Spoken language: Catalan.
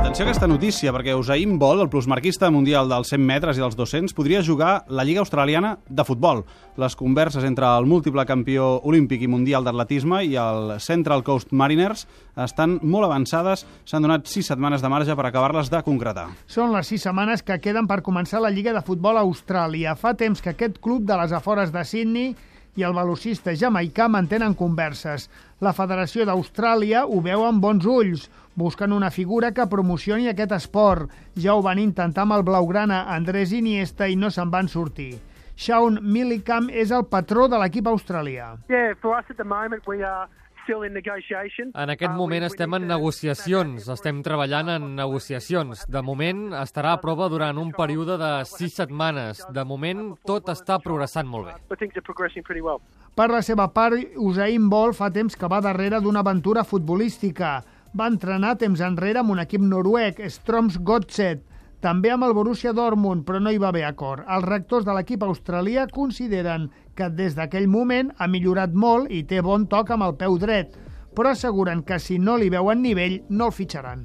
Atenció a aquesta notícia, perquè Usain Bolt, el plusmarquista mundial dels 100 metres i dels 200, podria jugar la Lliga Australiana de Futbol. Les converses entre el múltiple campió olímpic i mundial d'atletisme i el Central Coast Mariners estan molt avançades. S'han donat 6 setmanes de marge per acabar-les de concretar. Són les 6 setmanes que queden per començar la Lliga de Futbol a Austràlia. Fa temps que aquest club de les afores de Sydney i el velocista jamaicà mantenen converses. La Federació d'Austràlia ho veu amb bons ulls. Busquen una figura que promocioni aquest esport. Ja ho van intentar amb el blaugrana Andrés Iniesta i no se'n van sortir. Sean Millican és el patró de l'equip australià. En aquest moment estem en negociacions, estem treballant en negociacions. De moment estarà a prova durant un període de 6 setmanes. De moment tot està progressant molt bé. Per la seva part, Usain Bolt fa temps que va darrere d'una aventura futbolística. Va entrenar temps enrere amb un equip noruec, Strømsgodset, també amb el Borussia Dortmund, però no hi va haver acord. Els rectors de l'equip australià consideren que des d'aquell moment ha millorat molt i té bon toc amb el peu dret, però asseguren que si no li veuen nivell no el fitxaran.